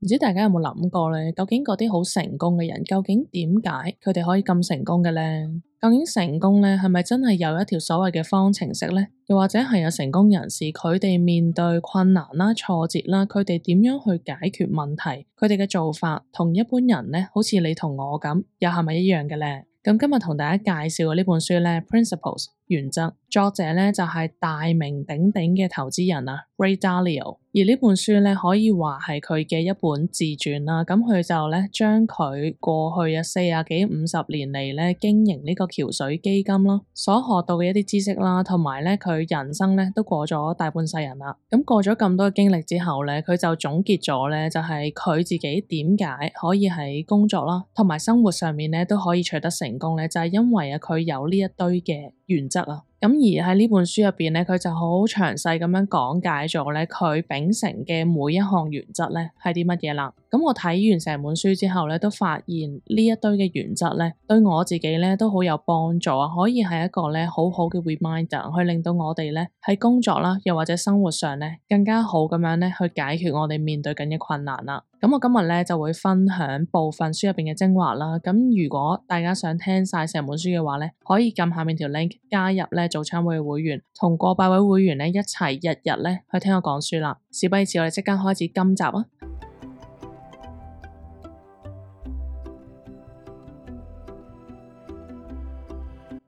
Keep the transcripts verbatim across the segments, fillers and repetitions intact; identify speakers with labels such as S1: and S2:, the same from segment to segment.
S1: 唔知大家有冇諗過咧？究竟嗰啲好成功嘅人，究竟點解佢哋可以咁成功嘅咧？究竟成功咧係咪真係有一條所謂嘅方程式咧？又或者係有成功人士佢哋面對困難啦、挫折啦，佢哋點樣去解決問題？佢哋嘅做法同一般人咧，好似你同我咁，又係咪一樣嘅咧？咁今日同大家介紹嘅呢本書咧，Principles 原則，作者咧就係大名鼎鼎嘅投資人啊 Ray Dalio。而呢本書咧可以話係佢嘅一本自傳啦。咁佢就咧將佢過去啊四十幾五十年嚟咧經營呢個橋水基金啦，所學到嘅一啲知識啦，同埋咧佢人生咧都過咗大半世人啦。咁過咗咁多嘅經歷之後咧，佢就總結咗咧就係佢自己點解可以喺工作啦，同埋生活上面咧都可以取得成功咧，就係因為啊佢有呢一堆嘅原則啊。咁而喺呢本書入邊咧，佢就好詳細咁樣講解咗咧佢秉承嘅每一項原則咧係啲乜嘢啦。咁我睇完成本書之後咧，都發現呢一堆嘅原則咧對我自己咧都好有幫助啊，可以係一個咧好好嘅 reminder，去令到我哋咧喺工作啦，又或者生活上咧更加好咁樣咧去解決我哋面對緊嘅困難啦。咁我今日咧就會分享部分書入邊嘅精華啦。咁如果大家想聽晒成本書嘅話咧，可以撳下面條 link 加入咧早餐會嘅會員，同過百位會員咧一齊日日咧去聽我講書啦。事不宜遲，我哋即刻開始今集啊！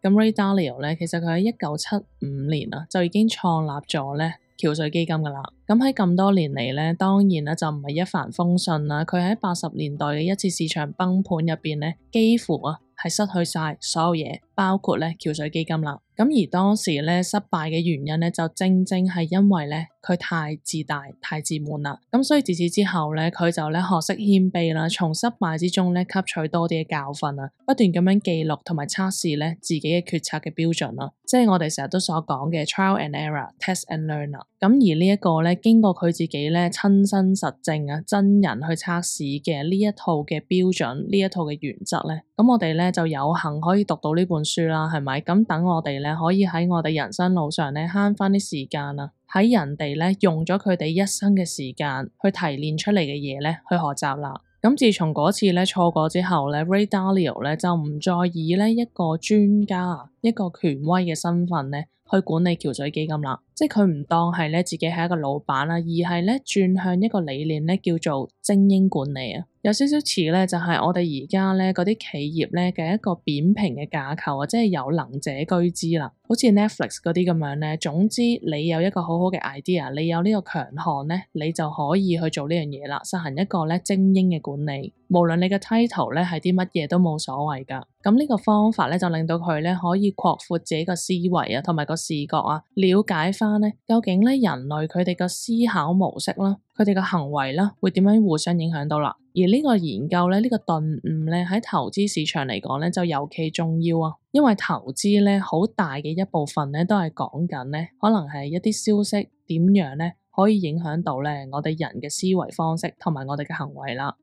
S1: 咁 Ray Dalio 咧，其實佢喺一九七五年啊就已經創立咗咧橋水基金噶啦。咁喺咁多年嚟咧，當然啦就唔係一帆風順啦。佢喺八十年代嘅一次市場崩盤入邊咧，幾乎啊係失去晒所有嘢，包括咧橋水基金啦。咁而當時咧失敗嘅原因咧，就正正係因為咧佢太自大、太自滿啦。咁所以自此之後咧，佢就咧學識謙卑啦，從失敗之中咧吸取多啲嘅教訓啊，不斷咁樣記錄同埋測試咧自己嘅決策嘅標準啦。即係我哋成日都所講嘅 trial and error、test and learn 啦。咁而呢一個咧，經過佢自己咧親身實證啊，真人去測試嘅呢一套嘅標準，呢一套嘅原則咧，咁我哋咧就有幸可以讀到呢本書啦，係咪？咁等我哋咧可以喺我哋人生路上咧慳翻啲時間啊，喺人哋咧用咗佢哋一生嘅時間去提煉出嚟嘅嘢咧去學習啦。咁自從嗰次咧錯過之後咧 Ray Dalio 咧就唔再以咧一個專家、一個權威嘅身份咧去管理橋水基金啦。即係佢唔當係咧自己係一個老闆啦，而係咧轉向一個理念咧叫做精英管理啊。有少少似咧就係我哋而家咧嗰啲企業咧嘅一個扁平嘅架構啊，即係有能者居之啦。好似 Netflix 嗰啲咁樣咧，總之你有一個好好嘅 idea， 你有呢個強項咧，你就可以去做呢樣嘢啦，實行一個咧精英嘅管理。無論你嘅 title 咧係啲乜嘢都冇所謂噶。咁呢個方法咧就令到佢咧可以擴闊自己個思維啊，同埋個視覺啊，了解翻咧究竟咧人類佢哋個思考模式啦，佢哋個行為啦會點樣互相影響到啦。而呢個研究咧，呢個頓悟咧喺投資市場嚟講咧就尤其重要啊，因為投資咧好大嘅一部分咧都係講緊咧可能係一啲消息點樣咧可以影響到咧我哋人嘅思維方式同埋我哋嘅行為啦。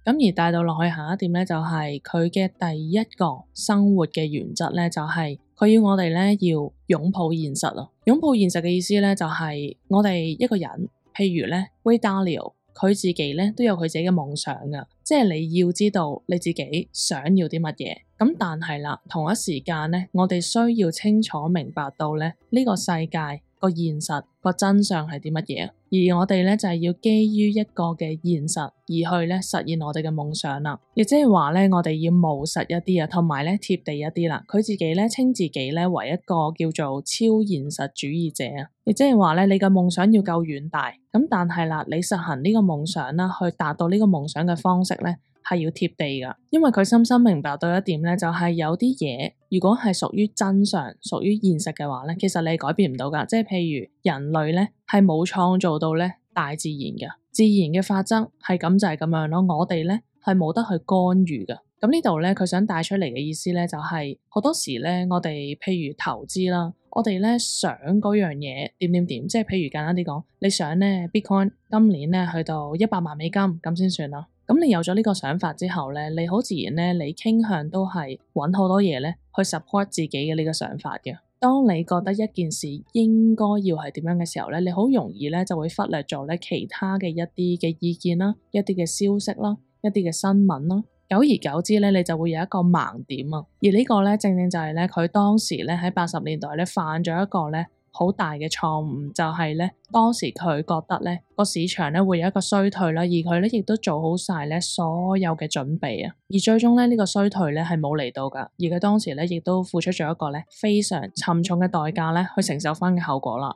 S1: 咁而帶到落去下一點咧，就係佢嘅第一個生活嘅原則咧，就係佢要我哋咧要擁抱現實啊！擁抱現實嘅意思咧，就係我哋一個人，譬如咧 Ray Dalio，佢自己咧都有佢自己嘅夢想噶，即係你要知道你自己想要啲乜嘢。咁但係啦，同一時間咧，我哋需要清楚明白到咧呢個世界個現實個真相係啲乜嘢，而我哋咧就係要基於一個嘅現實而去咧實現我哋嘅夢想啦。亦即係話咧，我哋要務實一啲啊，同埋咧貼地一啲啦。佢自己咧稱自己咧為一個叫做超現實主義者啊。亦即係話咧，你嘅夢想要夠遠大，咁但係啦，你實行呢個夢想啦，去達到呢個夢想嘅方式咧，係要貼地噶。因為佢深深明白到一點咧，就係有啲嘢如果係屬於真相、屬於現實嘅話咧，其實你改變唔到噶。即係譬如人類咧係冇創造到咧大自然嘅，自然嘅法則係咁就係咁樣咯。我哋咧係冇得去干預噶。咁呢度咧佢想帶出嚟嘅意思咧，就係好多時咧我哋譬如投資啦，我哋咧想嗰樣嘢點點點，即係譬如簡單啲講，你想咧 Bitcoin 今年咧去到一百萬美金咁先算啦。咁你有咗呢個想法之後咧，你好自然咧，你傾向都係揾好多嘢咧去 support 自己嘅呢個想法嘅。當你覺得一件事應該要係點樣嘅時候咧，你好容易咧就會忽略咗咧其他嘅一啲嘅意見啦、一啲嘅消息啦、一啲嘅新聞啦。久而久之咧，你就會有一個盲點啊。而呢個咧，正正就係咧佢當時咧喺八十年代咧犯咗一個咧好大嘅錯誤，就係咧當時佢覺得咧個市場咧會有一個衰退啦，而佢咧亦都做好晒咧所有嘅準備啊。而最終咧呢個衰退咧係冇嚟到噶，而佢當時咧亦都付出咗一個咧非常沉重嘅代價咧去承受翻嘅後果啦。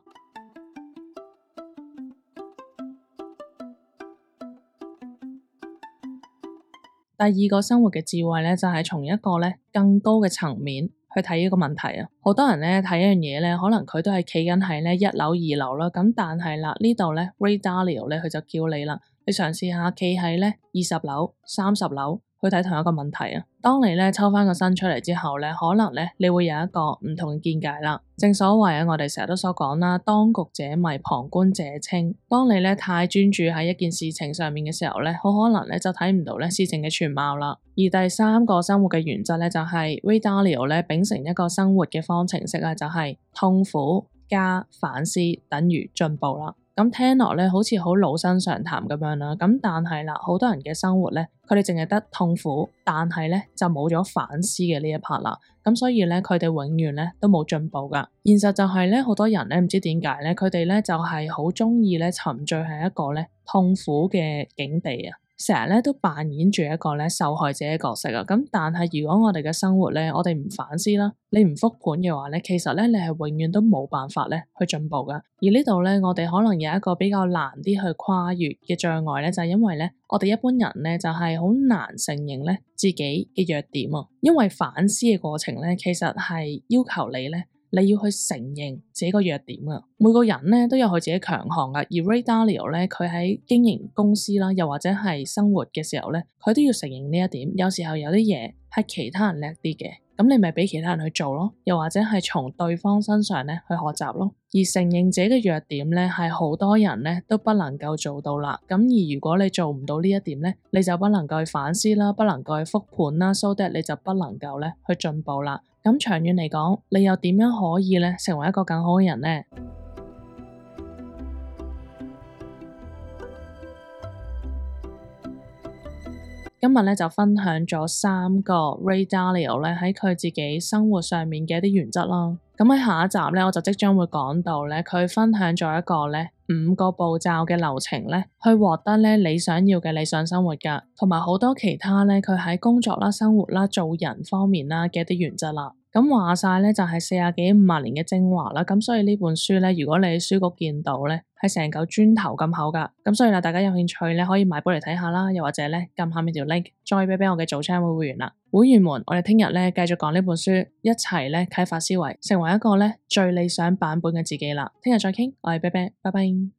S1: 第二個生活嘅智慧咧，就係從一個咧更高嘅層面去睇呢個問題啊。好多人咧睇一樣嘢咧，可能佢都係企緊喺咧一樓二樓啦，咁但係啦呢度咧 Ray Dalio 咧佢就叫你啦，你嘗試下企喺咧二十樓、三十樓去睇同一個問題啊。當你咧抽翻個身出嚟之後咧，可能咧你會有一個唔同嘅見解啦。正所謂啊，我哋成日都所講啦，當局者迷，旁觀者清。當你咧太專注喺一件事情上面嘅時候咧，好可能咧就睇唔到咧事情嘅全貌啦。而第三個生活嘅原則咧，就係 Ray Dalio 咧秉承一個生活嘅方程式啊，就係痛苦加反思等於進步啦。咁聽落咧好似好老生常談咁樣啦，咁但係啦，好多人嘅生活咧，佢哋淨係得痛苦，但係咧就冇咗反思嘅呢一 part 啦。咁所以咧，佢哋永遠咧都冇進步噶。現實就係咧，好多人咧唔知點解咧，佢哋咧就係好中意咧沉醉喺一個咧痛苦嘅境地啊。成日咧都扮演住一個咧受害者嘅角色啊，咁但係如果我哋嘅生活咧，我哋唔反思啦，你唔復盤嘅話咧，其實咧你係永遠都冇辦法咧去進步噶。而呢度咧，我哋可能有一個比較難啲去跨越嘅障礙咧，就係因為咧，我哋一般人咧就係好難承認咧自己嘅弱點啊，因為反思嘅過程咧，其實係要求你咧。你要去承認自己個弱點啊！每個人咧都有佢自己強項噶，而 Ray Dalio 咧佢喺經營公司啦，又或者係生活嘅時候咧，佢都要承認呢一點。有時候有啲嘢係其他人叻啲嘅，咁你咪俾其他人去做咯，又或者係從對方身上咧去學習咯。而承認自己嘅弱點咧，係好多人咧都不能夠做到啦。咁而如果你做唔到呢一點咧，你就不能夠去反思啦，不能夠去復盤啦，so that 你就不能夠咧去進步啦。咁長遠嚟講，你又點樣可以咧成為一個更好嘅人呢？今日咧就分享咗三個 Ray Dalio 咧喺佢自己生活上面嘅一啲原則啦。咁喺下一集咧，我就即將會講到咧，佢分享咗一個咧五個步驟嘅流程咧，去獲得咧你想要嘅理想生活噶，同埋好多其他咧佢喺工作啦、生活啦、做人方面啦嘅一啲原則啦。咁話晒咧就係四十幾五十年嘅精華啦，咁所以呢本書咧，如果你喺書局見到咧，係成嚿磚頭咁厚噶，咁所以啦，大家有興趣咧可以買本嚟睇下啦，又或者咧撳下面條 link，再俾俾我嘅早餐會會員啦，會員們，我哋聽日咧繼續講呢本書，一齊咧啟發思維，成為一個咧最理想版本嘅自己啦，聽日再傾，我係啤啤，拜拜。